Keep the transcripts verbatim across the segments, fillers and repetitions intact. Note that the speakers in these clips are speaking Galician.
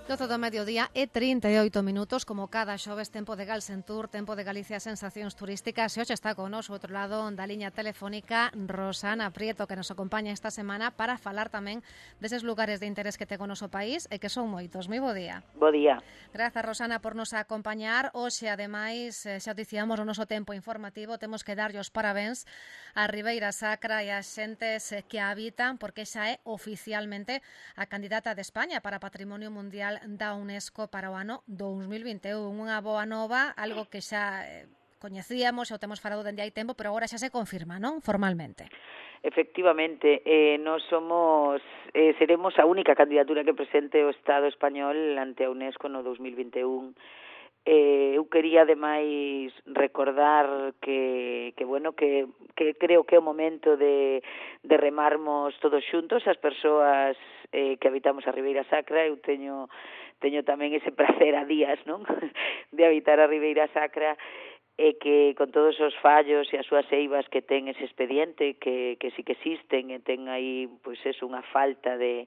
doce do mediodía e trinta e oito minutos, como cada xoves, tempo de Galsentur, tempo de Galicia, sensacións turísticas. E hoxe está con nos, outro lado da liña telefónica, Rosana Prieto, que nos acompaña esta semana para falar tamén deses lugares de interés que ten o noso país e que son moitos. Moi bo día. Bo día. Grazas, Rosana, por nos acompañar. Hoxe, ademais, xa dicíamos o noso tempo informativo, temos que darlle os parabéns a Ribeira Sacra e as xentes que a habitan, porque xa é oficialmente a candidata de España para Patrimonio Mundial da UNESCO para o ano dous mil vinte e un. Unha boa nova, algo que xa eh, coñecíamos, xa o temos falado dende hai tempo, pero agora xa se confirma, non? Formalmente. Efectivamente, eh, nós somos, eh, seremos a única candidatura que presente o Estado español ante a UNESCO no dous mil vinte e un. Eh, eu quería ademais recordar que, que bueno, que, que creo que é o momento de, de remarmos todos xuntos, as persoas eh, que habitamos a Ribeira Sacra. Eu teño, teño tamén ese prazer a días, non? de habitar a Ribeira Sacra, e que con todos os fallos e as súas eivas que ten ese expediente, que, que sí que existen, e ten aí, pois eso, unha falta de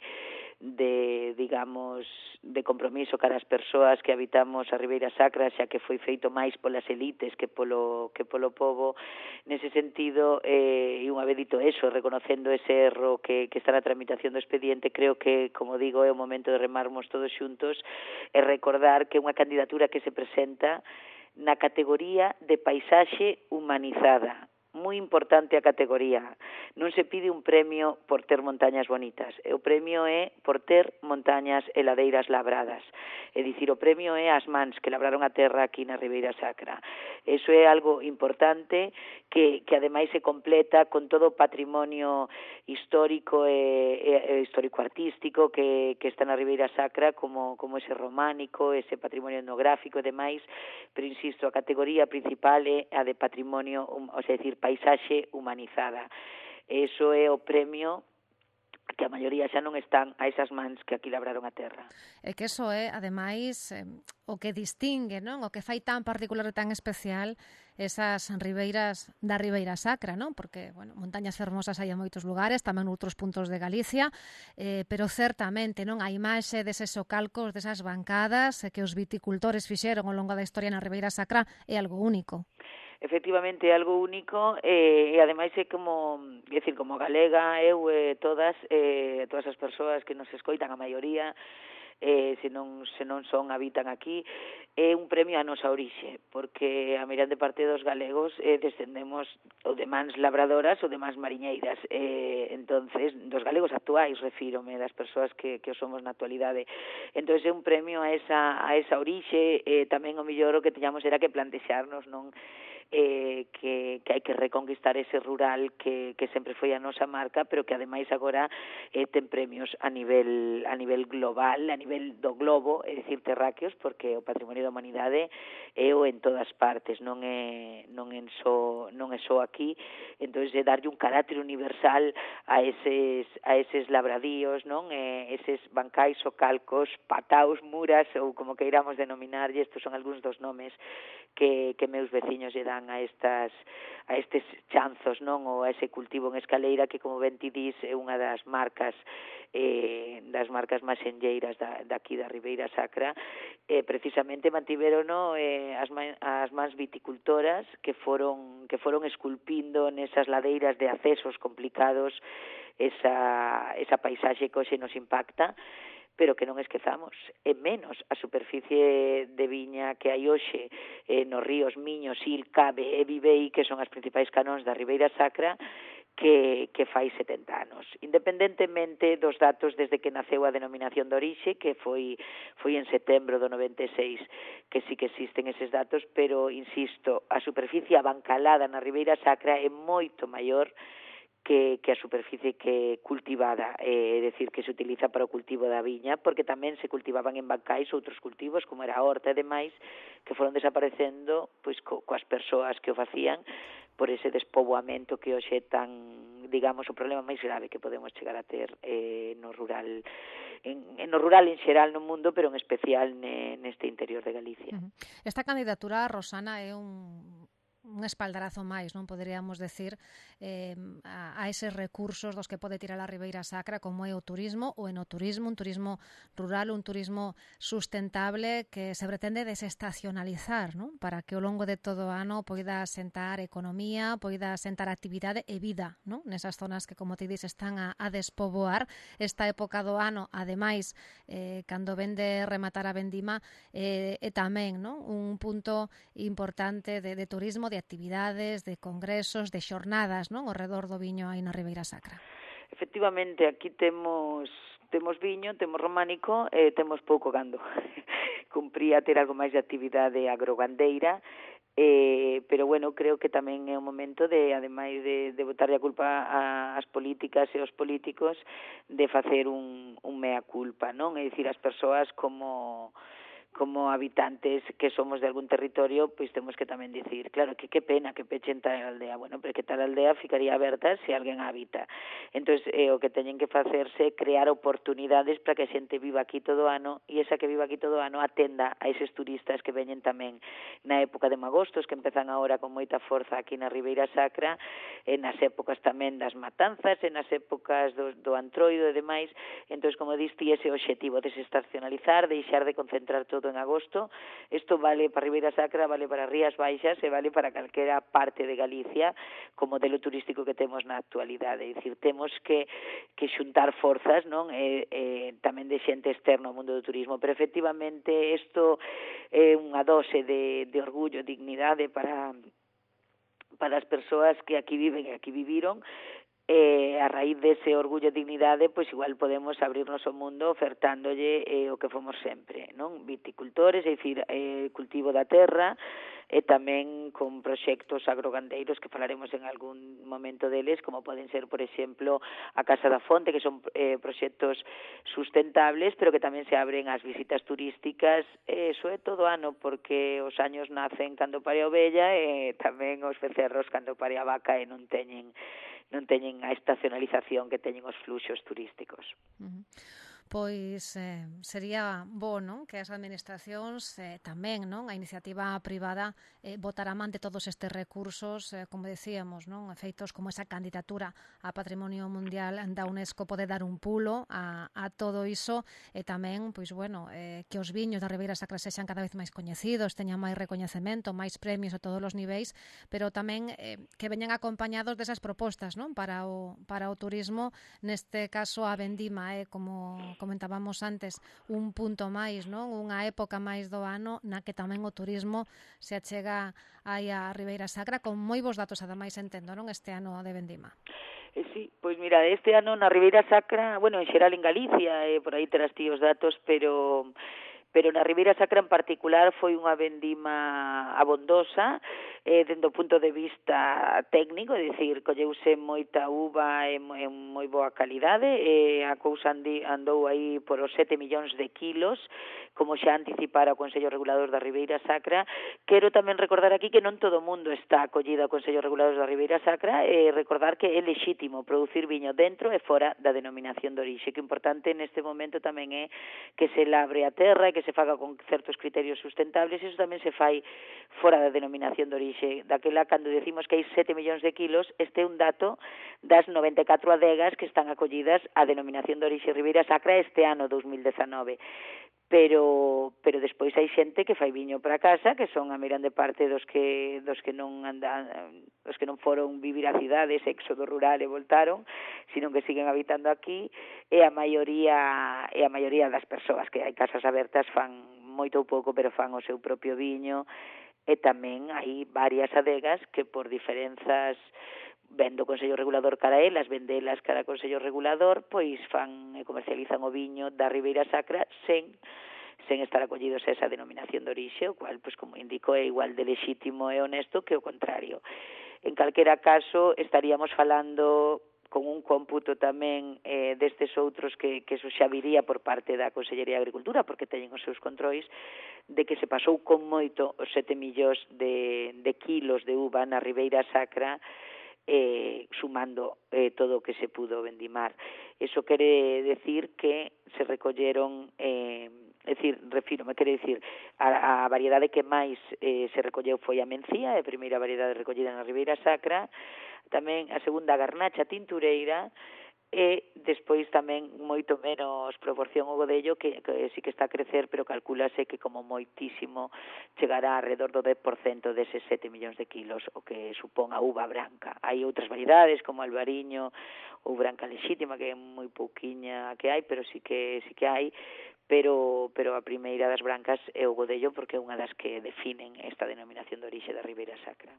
de, digamos, de compromiso cara as persoas que habitamos a Ribeira Sacra, xa que foi feito máis polas elites que polo que polo pobo. Nese sentido, eh, e unha vez dito eso, reconocendo ese erro que, que está na tramitación do expediente, creo que, como digo, é o momento de remarmos todos xuntos e recordar que é unha candidatura que se presenta na categoría de paisaxe humanizada. Moi importante a categoría. Non se pide un premio por ter montañas bonitas. O premio é por ter montañas e ladeiras labradas. É dicir, o premio é as mans que labraron a terra aquí na Ribeira Sacra. Eso é algo importante que, que ademais se completa con todo o patrimonio histórico e, e, e histórico-artístico que, que está na Ribeira Sacra, como, como ese románico, ese patrimonio etnográfico e demais, pero insisto, a categoría principal é a de patrimonio, o sea, decir, paisaxe humanizada. Eso é o premio que a maioría xa non están a esas mans que aquí labraron a terra. É que eso é, ademais, eh, o que distingue, non? O que fai tan particular e tan especial esas ribeiras da Ribeira Sacra, non? Porque, bueno, montañas fermosas hai en moitos lugares, tamén noutros puntos de Galicia, eh, pero certamente, non? A imaxe deses socalcos, desas bancadas eh, que os viticultores fixeron ao longo da historia na Ribeira Sacra é algo único. Efectivamente é algo único, eh, e ademais é como, é dicir, como galega, eu e eh, todas, eh, todas as persoas que nos escoitan, a maioría, eh, se non se non son, habitan aquí, é un premio a nosa orixe, porque a mirande parte dos galegos eh, descendemos ou de mans labradoras ou de mans mariñeiras, eh, entonces, dos galegos actuais, refírome, das persoas que, que somos na actualidade. Entonces é un premio a esa, a esa orixe, eh, tamén o mellor o que teñamos era que plantexarnos, non? Eh, que, que hai que reconquistar ese rural que, que sempre foi a nosa marca, pero que ademais agora eh, ten premios a nivel a nivel global, a nivel do globo, é dicir, terráqueos, porque o patrimonio da humanidade é o en todas partes, non é non en só non é só aquí. Entonces é darlle un carácter universal a eses a eses labradíos, non? Eh, eses bancais ou calcos, pataos, muras ou como queiramos denominarlle, estos son algúns dos nomes que que meus veciños lle dan a estas a estes chanzos, non, ou a ese cultivo en escaleira que, como ben ti dis, é unha das marcas eh, das marcas máis enlleiras da, daqui da Ribeira Sacra. Eh, precisamente mantiverono eh, as, man, as mans viticultoras que foron que foron esculpindo nesas ladeiras de accesos complicados esa, esa paisaxe que hoxe nos impacta, pero que non esquezamos, e menos a superficie de viña que hai hoxe eh, nos ríos Miño, Sil, Cabe e Vivei, que son as principais canóns da Ribeira Sacra, que, que fai setenta anos. Independentemente dos datos desde que naceu a denominación de orixe, que foi, foi en setembro do noventa e seis, que sí que existen eses datos, pero, insisto, a superficie abancalada na Ribeira Sacra é moito maior que, que a superficie que cultivada, é eh, decir, que se utiliza para o cultivo da viña, porque tamén se cultivaban en bancais outros cultivos, como era a horta e demais, que foron desaparecendo pois co, coas persoas que o facían por ese despoboamento que hoxe é tan, digamos, o problema máis grave que podemos chegar a ter eh, no rural en, en no rural en xeral no mundo, pero en especial ne, neste interior de Galicia. Esta candidatura, Rosana, é un un espaldarazo máis, non poderíamos decir, eh, a, a eses recursos dos que pode tirar a Ribeira Sacra, como é o turismo, o enoturismo, un turismo rural, un turismo sustentable que se pretende desestacionalizar, non? Para que ao longo de todo o ano poida sentar economía, poida sentar actividade e vida, non? Nesas zonas que, como ti dis, están a, a despoboar. Esta época do ano, ademais, eh, cando vende rematar a vendima, eh, e tamén, non? Un punto importante de, de turismo, de actividades, de congresos, de xornadas, non? Ao redor do viño aí na Ribeira Sacra. Efectivamente, aquí temos temos viño, temos románico e temos pouco gando. Cumpría ter algo máis de actividade agrogandeira, eh, pero bueno, creo que tamén é o momento de, ademais de, de botarlle a culpa ás políticas e aos políticos, de facer un, un mea culpa, non? É dicir, as persoas como como habitantes que somos de algún territorio, pois temos que tamén dicir, claro, que que pena que pechen tal aldea, bueno, pero que tal aldea ficaría aberta se alguén habita. Entón, eh, o que teñen que facerse é crear oportunidades para que a xente viva aquí todo o ano e esa que viva aquí todo o ano atenda a eses turistas que veñen tamén na época de magostos, que empezan agora con moita forza aquí na Ribeira Sacra, e nas épocas tamén das matanzas, e nas épocas do, do antroido e demais. Entón, como diste, ese objetivo, desestacionalizar, deixar de concentrar todo en agosto. Isto vale para Ribeira Sacra, vale para Rías Baixas e vale para calquera parte de Galicia como modelo turístico que temos na actualidade. É dicir, temos que, que xuntar forzas, non? E, e tamén de xente externa ao mundo do turismo, pero efectivamente isto é unha dose de, de orgullo, dignidade para para as persoas que aquí viven e aquí viviron. E a raíz dese orgullo e dignidade, pois igual podemos abrirnos ao mundo ofertándolle eh, o que fomos sempre, non? Viticultores, é dicir, eh, cultivo da terra, e tamén con proxectos agrogandeiros que falaremos en algún momento deles, como poden ser, por exemplo, a Casa da Fonte, que son eh, proxectos sustentables, pero que tamén se abren ás visitas turísticas, e iso é todo ano, porque os años nacen cando pare a ovella e tamén os becerros cando pare a vaca e non teñen non teñen a estacionalización que teñen os fluxos turísticos. Uh-huh. Pois eh, sería bo, non? Que as administracións eh, tamén, non? A iniciativa privada eh, botar a man de todos estes recursos, eh, como decíamos, non? Feitos como esa candidatura a Patrimonio Mundial da UNESCO pode dar un pulo a, a todo iso, e tamén, pois bueno, eh, que os viños da Ribeira Sacra sexan cada vez máis coñecidos, teñan máis recoñecemento, máis premios a todos os niveis, pero tamén eh, que veñan acompañados desas propostas, non? Para o, para o turismo, neste caso a vendima é eh, como comentábamos antes, un punto máis, non? Unha época máis do ano na que tamén o turismo se achega aí a Ribeira Sacra, con moi bons datos, ademais, entendo, non? Este ano de vendima. Eh, sí, pois mira, este ano na Ribeira Sacra, bueno, en xeral en Galicia, eh, por aí terás ti os datos, pero pero na Ribeira Sacra en particular foi unha vendima abondosa, eh, dende o punto de vista técnico, é dicir, colleuse moita uva en moi boa calidade, e a cousa andou aí por os sete millóns de kilos, como xa anticipara o Consello Regulador da Ribeira Sacra. Quero tamén recordar aquí que non todo o mundo está acollido ao Consello Regulador da Ribeira Sacra, e recordar que é lexítimo producir viño dentro e fora da denominación de orixe, que o importante neste momento tamén é que se labre a terra e que se faga con certos criterios sustentables, e iso tamén se fai fora da denominación de orixe. Daquela, cando decimos que hai sete millóns de kilos, este é un dato das noventa e catro adegas que están acollidas á denominación de orixe Ribeira Sacra este ano dous mil dezanove. Pero pero despois hai xente que fai viño para casa, que son a mirande parte dos que dos que non andan, dos que non foron vivir a cidades, éxodo rural e voltaron, sino que siguen habitando aquí, e a maioría e a maioría das persoas que hai casas abertas fan moito ou pouco, pero fan o seu propio viño, e tamén hai varias adegas que por diferenzas vendo o Consello Regulador cara a elas, vendelas cara ao Consello Regulador, pois fan e comercializan o viño da Ribeira Sacra sen sen estar acollidos a esa denominación de orixe, o cual, pois, como indico, é igual de lexítimo e honesto que o contrario. En calquera caso, estaríamos falando con un cómputo tamén eh, destes outros que, que eso xa viría por parte da Consellería de Agricultura, porque teñen os seus controis, de que se pasou con moito os sete millóns de, de kilos de uva na Ribeira Sacra, eh, sumando eh, todo o que se pudo vendimar. Eso quere decir que se recolleron eh, é dicir, refírome, quere dicir, a, a variedade que máis eh, se recolleu foi a mencía, a primeira variedade recollida na Ribeira Sacra, tamén a segunda a garnacha tintureira, e despois tamén moito menos proporción o godello que, que sí que está a crecer, pero calculase que como moitísimo chegará alrededor do dez por cento deses sete millóns de kilos, o que supón a uva branca. Hai outras variedades como albariño ou branca lexítima, que é moi pouquiña que hai, pero sí que sí que hai, pero pero a primeira das brancas é o godello porque é unha das que definen esta denominación de orixe da Ribeira Sacra.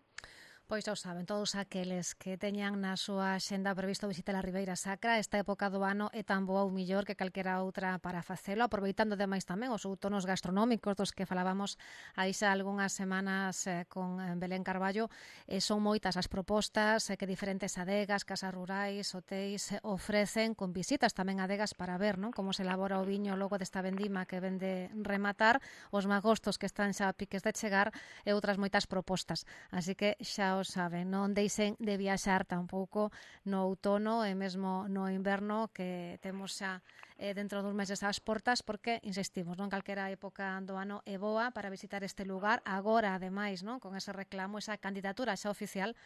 Pois xa o saben, todos aqueles que teñan na súa xenda previsto visitar a Ribeira Sacra, esta época do ano é tan boa ou millor que calquera outra para facelo, aproveitando demais tamén os outonos gastronómicos dos que falábamos aí xa algunhas semanas eh, con Belén Carballo. Eh, son moitas as propostas eh, que diferentes adegas, casas rurais, hotéis eh, ofrecen, con visitas tamén adegas para ver, non, como se elabora o viño logo desta vendima que ven de rematar, os magostos que están xa a piques de chegar e outras moitas propostas. Así que xa o saben, non deixen de viaxar tampouco no outono e mesmo no inverno que temos xa eh, dentro dos meses ás portas, porque, insistimos, non calquera época do ano é boa para visitar este lugar. Agora, ademais, non, con ese reclamo, esa candidatura xa oficial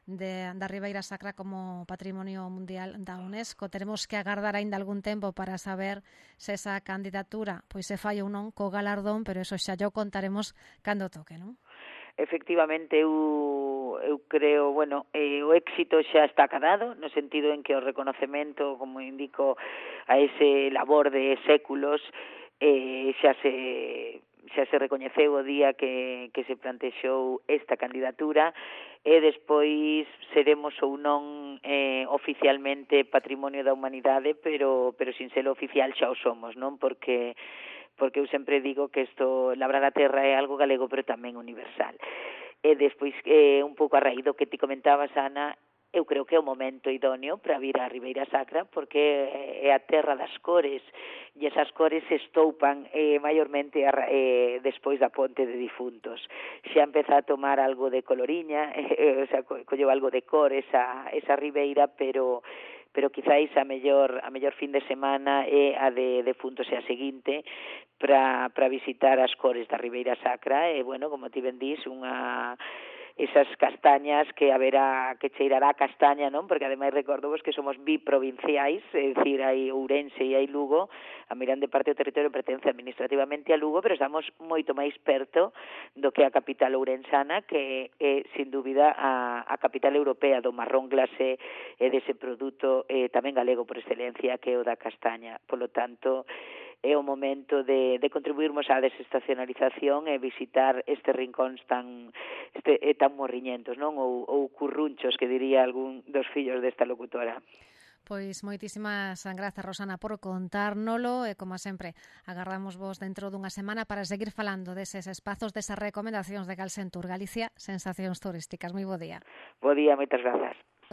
de, da Ribeira Sacra como Patrimonio Mundial da UNESCO. Teremos que agardar aínda algún tempo para saber se esa candidatura pois se fai ou non co galardón, pero eso xa yo contaremos cando toque, non? Efectivamente, eu, eu creo, bueno, eh, o éxito xa está acadado, no sentido en que o reconocemento, como indico, a ese labor de séculos, eh, xa se xa se recoñeceu o día que, que se plantexou esta candidatura, e despois seremos ou non eh, oficialmente Patrimonio da Humanidade, pero, pero sin ser oficial xa o somos, non? Porque porque eu sempre digo que isto, labrar a terra é algo galego, pero tamén universal. E despois, eh, un pouco a raíz do que ti comentabas, Ana, eu creo que é o momento idóneo para vir á Ribeira Sacra, porque é a terra das cores, e esas cores se estoupan eh, maiormente eh, despois da ponte de difuntos. Xa empeza a tomar algo de coloriña, eh, o sea, colleu algo de cor esa, esa ribeira, pero pero quizáis a mellor a mellor fin de semana é a de defuntos e a seguinte para para visitar as cores da Ribeira Sacra, e bueno, como ti ben dís, unha esas castañas que haberá, que cheirará a castaña, non? Porque ademais recordovos que somos biprovinciais, é dicir, hai Ourense e hai Lugo, a mirande parte do territorio pertence administrativamente a Lugo, pero estamos moito máis perto do que a capital ourensana, que é, sin dúbida, a, a capital europea do marrón glacé e dese produto eh, tamén galego por excelencia, que é o da castaña. Polo tanto, é o momento de, de contribuirmos á desestacionalización e visitar estes rincóns tan este, tan morriñentos, non? Ou, ou currunchos, que diría algún dos fillos desta locutora. Pois moitísimas grazas, Rosana, por contárnolo e, como sempre, agardamos vos dentro dunha semana para seguir falando deses espazos, desas recomendacións de Calcentur Galicia, sensacións turísticas. Moi bo día. Bo día, moitas grazas.